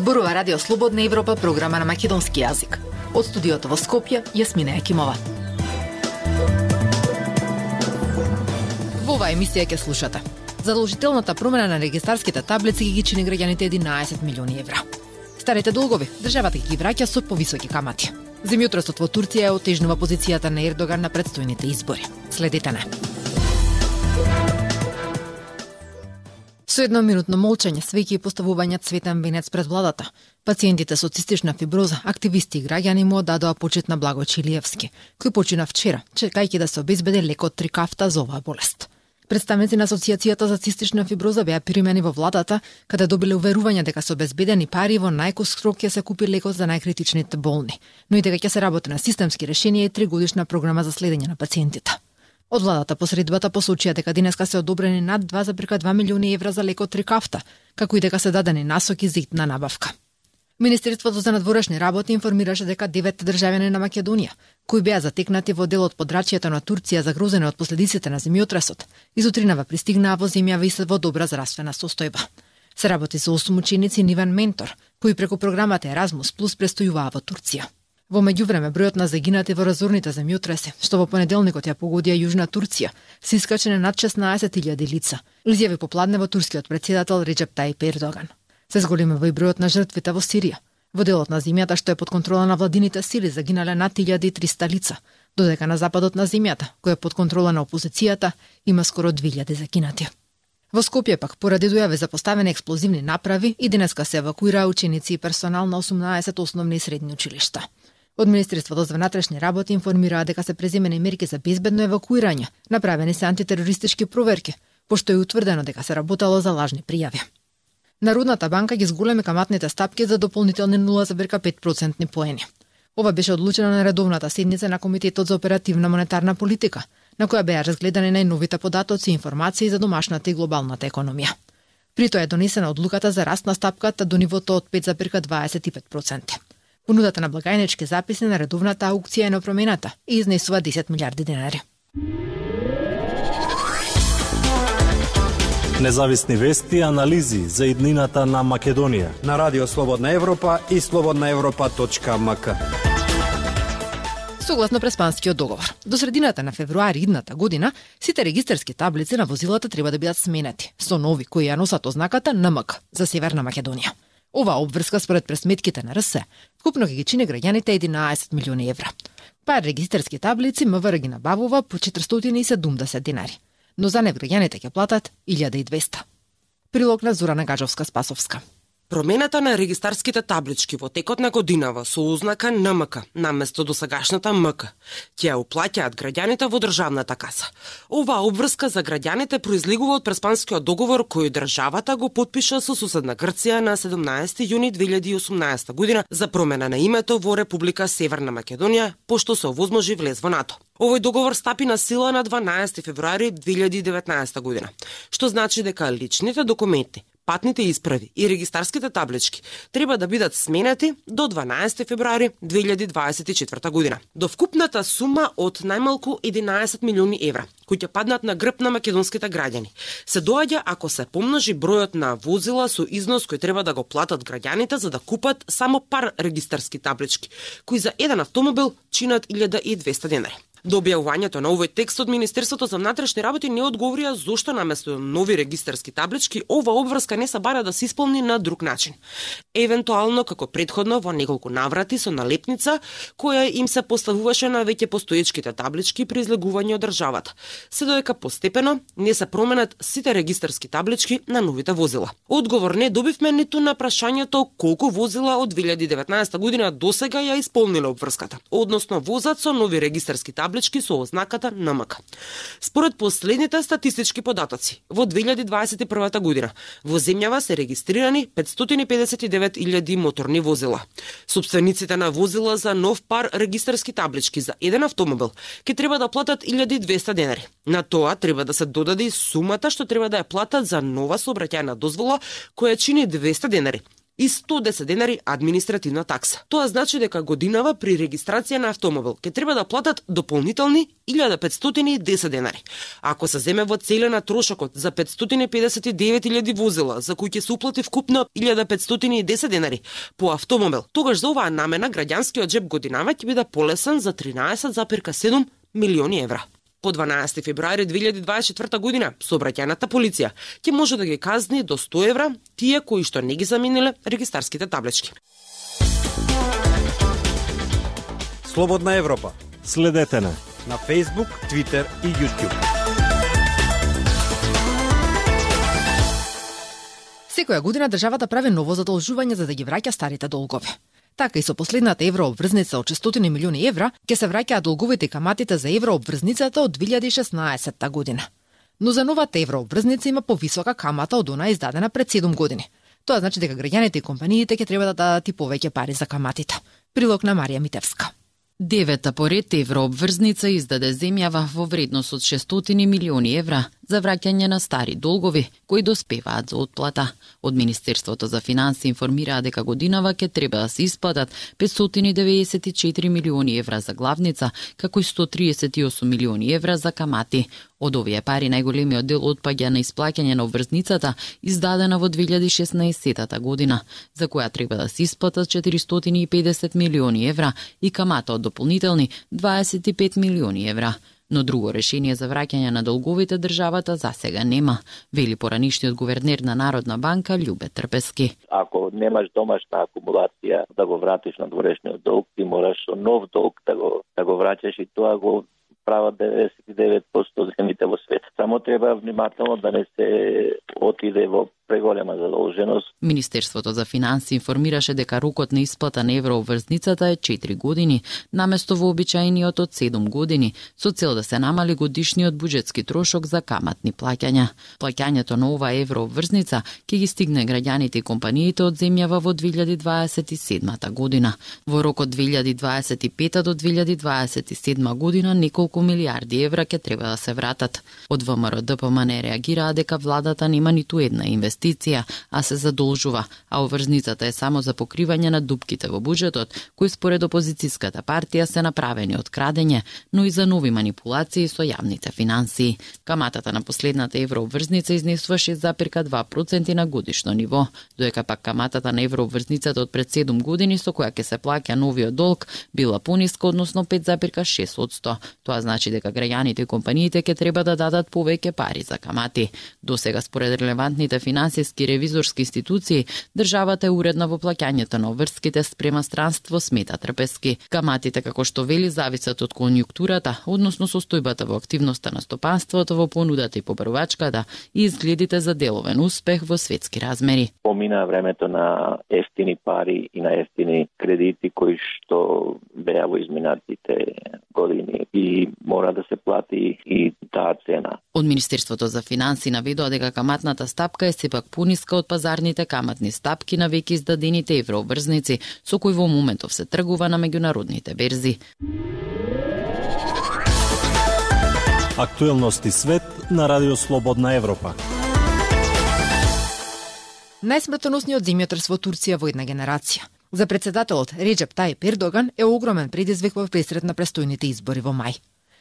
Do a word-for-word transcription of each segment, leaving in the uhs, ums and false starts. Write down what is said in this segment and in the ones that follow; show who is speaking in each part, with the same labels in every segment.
Speaker 1: Зборува Радио Слободна Европа, програма на македонски јазик. Од студиото во Скопје, Јасмина Екимова. Во оваа емисија ќе слушате: задолжителната промена на регистарските таблици ги чини граѓаните единаесет милиони евра. Старите долгови државата ги враќа со повисоки камати. Земјотресот во Турција ја отежнува позицијата на Ердоган на претстојните избори. Следете не. Со едноминутно молчање, свеќи и поставување цветен венец пред владата, пациентите со цистична фиброза, активисти и граѓани му одадоа почит на Благо Чилиевски, кој почина вчера, чекајќи да се обезбеди лекот Трикафта за оваа болест. Представници на Асоциацијата за цистична фиброза беа примени во владата, каде добиле уверување дека со обезбедени пари во најкос срок ќе се купи лекот за најкритичните болни, но и дека ќе се работи на системски решенија и тригодишна програма за следење на пациентите. Од владата посредбата посочија дека денеска се одобрени над два зарез два милиони евра за лекот Трикафта, како и дека се дадени насоки за итна набавка. Министерството за надворешни работи информираше дека девет државјани на Македонија, кои беа затекнати во дел од подрачјето на Турција загрозени од последиците на земјотресот, изутринава пристигнаа во земјава и се во добра здравствена состојба. Се работи со осум ученици нивен ментор, кои преку програмата Еразмус Плюс престојуваа во Турција. Во меѓувреме, бројот на загинати во разорните земјотреси, што во понеделникот ја погодија Јужна Турција, се искачи на над шеснаесет илјади лица, изјави попладне во турскиот претседател Реџеп Тајип Ердоган. Се зголемува и бројот на жртвите во Сирија. Во делот на земјата што е под контрола на владините сили загинале над илјада и триста лица, додека на западот на земјата, која е под контрола на опозицијата, има скоро две илјади загинати. Во Скопје пак, поради дојави за поставени експлозивни направи, и денеска се евакуираа ученици и персонал на осумнаесет основни и средни училишта. Од Министерството за внатрешни работи информираа дека се преземени мерки за безбедно евакуирање, направени се антитерористички проверки, пошто е утврдено дека се работело за лажни пријави. Народната банка ги зголеми каматните стапки за дополнителни нула зарез пет процентни поени. Ова беше одлучено на редовната седница на Комитетот за оперативна монетарна политика, на која беа разгледани најновите податоци и информации за домашната и глобалната економија. При тоа е донесена одлуката за раст на стапката до нивото од пет зарез дваесет и пет проценти. Понудата на благајнички записи на редовната аукција е непромената и изнесува десет милиарди денари.
Speaker 2: Независни вести и анализи за иднината на Македонија
Speaker 3: на Радио Слободна Европа и слободна европа точка ем ка.
Speaker 1: Согласно Преспанскиот договор, до средината на февруари идната година, сите регистарски таблици на возилата треба да бидат сменети со нови кои ја носат ознаката Н М К за Северна Македонија. Оваа обврска според пресметките на Р С, вкупно ќе ги чини граѓаните единаесет милиони евра. Пар регистарски таблици М В Р ги набавува по четиристотини и седумдесет денари, но за нив граѓаните ќе платат илјада и двесте. Прилог на Зорана Гаджовска-Спасовска.
Speaker 4: Промената на регистарските таблички во текот на годинава со ознака Н М К наместо досегашната М К ќе ја уплаќаат граѓаните во државната каса. Оваа обврска за граѓаните произлегува од Преспанскиот договор кој државата го потпиша со суседна Грција на седумнаесети јуни две илјади и осумнаесета година за промена на името во Република Северна Македонија, пошто се овозможи влез во НАТО. Овој договор стапи на сила на дванаесети февруари две илјади и деветнаесета година, што значи дека личните документи, патните исправи и регистарските таблички треба да бидат сменети до дванаесети февруари две илјади дваесет и четврта година. До вкупната сума од најмалку единаесет милиони евра, кои ќе паднат на грб на македонските граѓани, се доаѓа ако се помножи бројот на возила со износ кој треба да го платат граѓаните за да купат само пар регистарски таблички, кои за еден автомобил чинат илјада и двесте денари. До објавувањето на овој текст од Министерството за внатрешни работи не одговорија зошто наместо нови регистарски таблички ова обврска не се бара да се исполни на друг начин. Евентуално како претходно во неколку наврати со налепница која им се поставуваше на веќе постоечките таблички при излегување од државата, се додека постепено не се променат сите регистарски таблички на новите возила. Одговор не добивме ниту на прашањето колку возила од две илјади и деветнаесета година досега ја исполниле обврската, односно возат со нови регистарски таблички со ознаката Н М К. Според последните статистички податоци, во две илјади дваесет и прва година во земјава се регистрирани петстотини и педесет и девет илјади моторни возила. Собствениците на возила за нов пар регистарски таблички за еден автомобил ќе треба да платат илјада и двесте денари. На тоа треба да се додаде и сумата што треба да ја платат за нова сообраќајна дозвола која чини двесте денари, и сто и десет денари административна такса. Тоа значи дека годинава при регистрација на автомобил ќе треба да платат дополнителни илјада петстотини и десет денари. Ако се земе во целина трошокот за петстотини педесет и девет илјади возила, за кои ќе се уплати вкупно илјада петстотини и десет денари по автомобил, тогаш за оваа намена граѓанскиот џеб годинава ќе биде полесен за тринаесет зарез седум милиони евра. По дванаесети февруари две илјади дваесет и четврта година сообраќајната полиција ќе може да ги казни до сто евра тие кои што не ги замениле регистарските таблички.
Speaker 3: Слободна Европа.
Speaker 2: Следете на
Speaker 3: на Facebook, Twitter и YouTube.
Speaker 1: Секоја година државата прави ново задолжување за да ги враќа старите долгови. Така и со последната еврообврзница од шестстотини милиони евра ќе се враќаат долговите и каматите за еврообврзницата од две илјади и шеснаесетта година. Но за новата еврообврзница има повисока камата од она издадена пред седум години. Тоа значи дека граѓаните и компаниите ќе треба да дадат и повеќе пари за каматите. Прилог на Марија Митевска.
Speaker 5: Девета поред еврообврзница издаде земјава во вредност од шестстотини милиони евра за враќање на стари долгови кои доспеваат за отплата. Од Министерството за финансии информираа дека годинава ќе треба да се исплатат петстотини деветдесет и четири милиони евра за главница, како и сто триесет и осум милиони евра за камати. Од овие пари најголемиот дел отпаѓа на исплаќање на обврзницата издадена во две илјади и шеснаесетта година, за која треба да се исплатат четиристотини и педесет милиони евра и камата од дополнителни дваесет и пет милиони евра. Но друго решение за враќање на долговите државата засега нема, вели поранишниот гувернер на Народна банка Љубе Трпески.
Speaker 6: Ако немаш домашна акумулација да го вратиш на дворешниот долг, ти мораш со нов долг да го да го враќаш и тоа го прават деветдесет и девет проценти земјите во свет. Само треба внимателно да не се отиде во преголема задолженост.
Speaker 5: Министерството за финансии информираше дека рокот на исплата на еврообврзницата е четири години, наместо вообичаениот од седум години, со цел да се намали годишниот буџетски трошок за каматни плаќања. Плаќањето на оваа еврообврзница ќе ги стигне граѓаните и компаниите од земјава во две илјади дваесет и седма година. Во рокот две илјади дваесет и пета до две илјади дваесет и седма година неколку милиарди евра ќе треба да се вратат. Од ВМРО-ДПМН реагираа дека владата нема ниту една инвестиција инвестиција, а се задолжува, а обврзницата е само за покривање на дупките во буџетот, кои според опозицијската партија се направени од крадење, но и за нови манипулации со јавните финансии. Каматата на последната еврообврзница изнесува шест зарез два проценти на годишно ниво, додека пак каматата на еврообврзницата од пред седум години со која ќе се плаќа новиот долг била пониска, односно пет зарез шест проценти. Тоа значи дека граѓаните и компаниите ќе треба да дадат повеќе пари за камати. Досега според релевантните финансиски ревизорски институции, државата е уредна во плаќањето на обврските спрема странство, смета Трпески. Каматите, како што вели, зависат од конјунктурата, односно состојбата во активноста на стопанството, во понудата и побарувачката и изгледите за деловен успех во светски размери.
Speaker 6: Помина времето на ефтини пари и на ефтини кредити кои што беа во изминатите години и мора да се плати и таа цена.
Speaker 5: Од Министерството за финансии наведува дека каматната стапка е сепак пониска од пазарните каматни стапки на веќе издадените еврообврзници, со кои во моментов се тргува на меѓународните берзи.
Speaker 2: Актуелности свет на Радио Слободна Европа.
Speaker 1: Најсмртоносниот земјотрес во Турција во една генерација. За председателот Реџеп Тајип Ердоган е огромен предизвик во пресред на престојните избори во мај.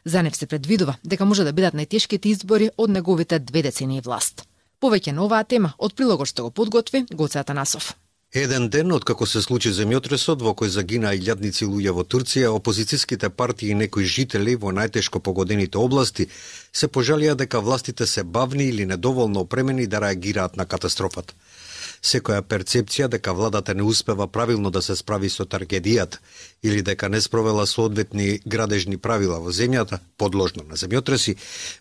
Speaker 1: За нив се предвидува дека може да бидат најтешките избори од неговите две децении власт. Повеќе на оваа тема од прилогот што го подготви Гоце Атанасов.
Speaker 3: Еден ден откако се случи земјотресот во кој загинаа илјадници луѓе во Турција, опозицијските партии и некои жители во најтешко погодените области се пожалија дека властите се бавни или недоволно опремени да реагираат на катастрофата. Секоја перцепција дека владата не успева правилно да се справи со трагедијата или дека не спровела соодветни градежни правила во земјата, подложна на земјотреси,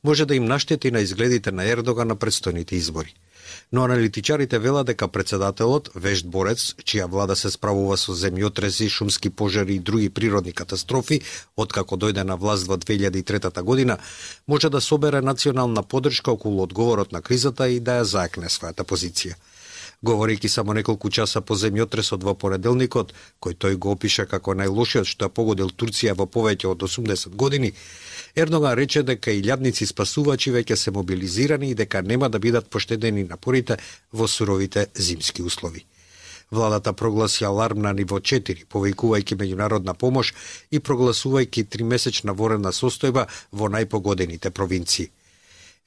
Speaker 3: може да им наштети на изгледите на Ердоган на предстојните избори. Но аналитичарите велат дека председателот, вешт борец, чија влада се справува со земјотреси, шумски пожари и други природни катастрофи, откако дојде на власт во две илјади и трета година, може да собере национална поддршка околу одговорот на кризата и да ја заекне својата позиција. Говорејќи само неколку часа по земјотресот во понеделникот, кој тој го опиша како најлошиот што ја погодил Турција во повеќе од осумдесет години, Ердоган рече дека илјадници спасувачи веќе се мобилизирани и дека нема да бидат поштедени напорите во суровите зимски услови. Владата прогласи аларм на ниво четири, повикувајќи меѓународна помош и прогласувајќи тримесечна воредна состојба во најпогодените провинции.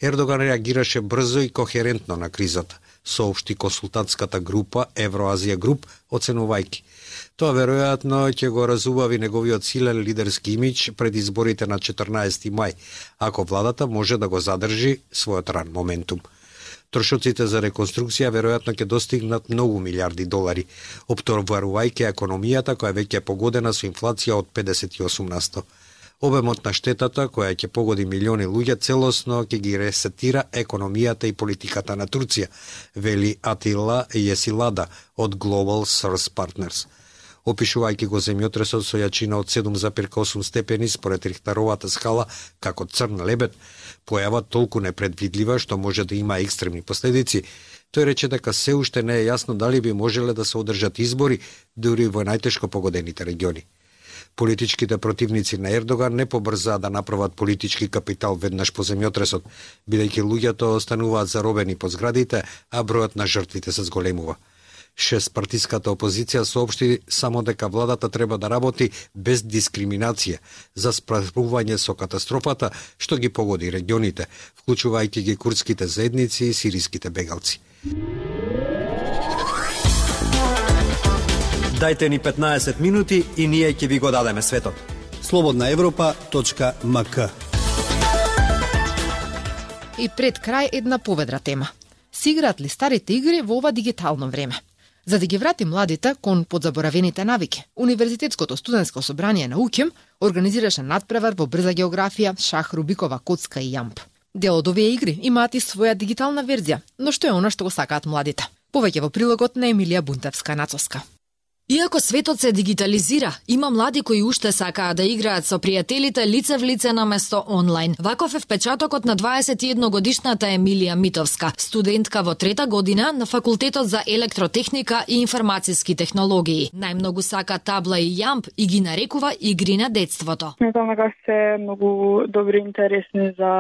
Speaker 3: Ердоган реагираше брзо и кохерентно на кризата, соопшти консултантската група Евроазија Груп, оценувајќи. Тоа веројатно ќе го разубави неговиот силен лидерски имидж пред изборите на четрнаесети мај, ако владата може да го задржи својот ран моментум. Трошоците за реконструкција веројатно ќе достигнат многу милиарди долари, оптоварувајќи економијата која веќе е погодена со инфлација од педесет и осум на сто. Обемот на штетата, која ќе погоди милиони луѓе, целосно ќе ги ресетира економијата и политиката на Турција, вели Атила Јесилада од Global Source Partners. Опишувајќи го земјотресот со јачина од седум зарез осум степени според Рихтеровата скала како црн лебед, појава толку непредвидлива што може да има екстремни последици, тој рече дека се уште не е јасно дали би можеле да се одржат избори дури во најтешко погодените региони. Политичките противници на Ердоган не побрзаа да направат политички капитал веднаш по земјотресот, бидејќи луѓето остануваат заробени по зградите, а бројот на жртвите се зголемува. Шестпартиската опозиција соопшти само дека владата треба да работи без дискриминација за справување со катастрофата што ги погоди регионите, вклучувајќи ги курдските заедници и сириските бегалци.
Speaker 7: Дајте ни петнаесет минути и ние ќе ви го дадеме светот.
Speaker 8: слободна европа точка ем ка.
Speaker 1: И пред крај една поведра тема. Си играат ли старите игри во ова дигитално време? За да ги врати младите кон подзаборавените навики, Универзитетското студентско собрание на УКИМ организираше надпревар во брза географија, шах, рубикова коцка и јамп. Дел од овие игри имаат и своја дигитална верзија, но што е она што го сакаат младите? Повеќе во прилогот на Емилија Бунтевска-Нацовска.
Speaker 9: Иако светот се дигитализира, има млади кои уште сакаат да играат со пријателите лице в лице наместо онлайн. Ваков е впечатокот на дваесет и едногодишната Емилија Митовска, студентка во трета година на факултетот за електротехника и информациски технологии. Најмногу сака табла и јамп и ги нарекува игри на детството.
Speaker 10: Сметам дека се многу добри и интересни за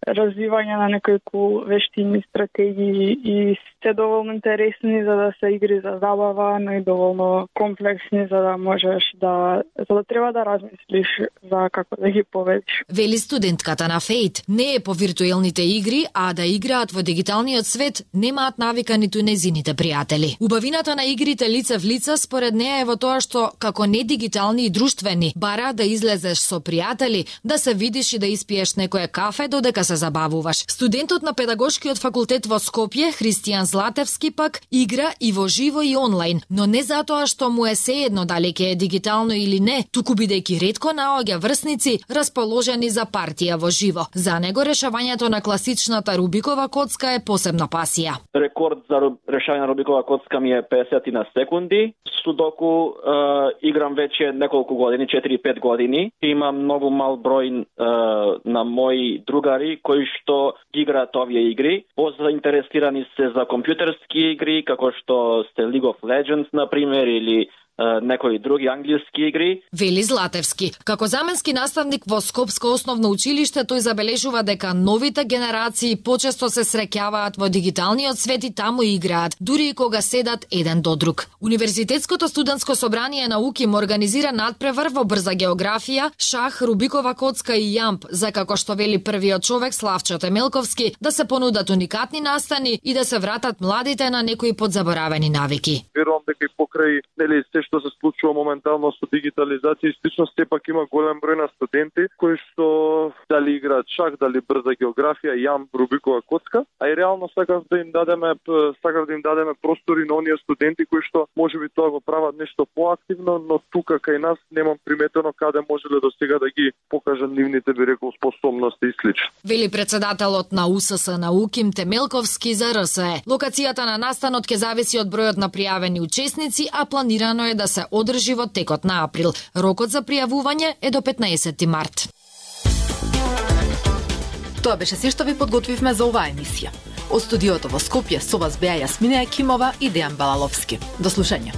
Speaker 10: развивање на неколку вештини, стратегии и се доволно интересни за да се игри за забава, но и доволно комплексни за да можеш да за да треба да размислиш за како да ги победиш.
Speaker 9: Вели студентката на Фейт, не е по виртуелните игри, а да играат во дигиталниот свет немаат навика ниту незините пријатели. Убавината на игрите лице в лице според неа е во тоа што како не дигитални и друштвени бара да излезеш со пријатели, да се видиш и да испиеш некое кафе додека се забавуваш. Студентот на педагошкиот факултет во Скопје, Христијан Златевски пак игра и во живо и онлайн, но не затоа што му е сеедно дали ќе е дигитално или не, туку бидејќи ретко наоѓа врсници расположени за партија во живо. За него решавањето на класичната Рубикова коцка е посебна пасија.
Speaker 11: Рекорд за решавање на Рубикова коцка ми е песет на секунди. Судоку е, играм веќе неколку години, четири-пет години. Имам многу мал број е, на мои другари кои што играат овие игри. Позаинтересирани се за компјутерски игри, како што сте League of Legends, например, или некои други англиски игри.
Speaker 9: Вели Златевски. Како заменски наставник во Скопско основно училиште, тој забележува дека новите генерации почесто се среќаваат во дигиталниот свет и таму играат, дури и кога седат еден до друг. Универзитетското студентско собрание на УКИМ организира надпревар во брза географија, шах, Рубикова коцка и јамп, за како што вели првиот човек Славчо Темелковски, да се понудат уникатни настани и да се вратат младите на некои подзаборавени навики.
Speaker 12: Верувам дека и покрај нели се што се случува моментално со дигитализација и слично, сепак има голем број на студенти кои што дали играат шах, дали брза географија, јамп, Рубикова коцка, а и реално сакав да им дадеме сакав да им дадеме простори на оние студенти кои што можеби тоа го прават нешто поактивно, но тука кај нас немам приметено каде можеле до сега да ги покажат нивните, би рекол, способности и слично.
Speaker 9: Вели председателот на УСС на УКИМ Темелковски за РСЕ. Локацијата на настанот ќе зависи од бројот на пријавени учесници, а планирано е да се одржи во текот на април. Рокот за пријавување е до петнаесети март.
Speaker 1: Тоа беше се што ви подготвивме за оваа емисија. Од студиото во Скопје со вас беа Јасмина Екимова и Дејан Балаловски. До слушање.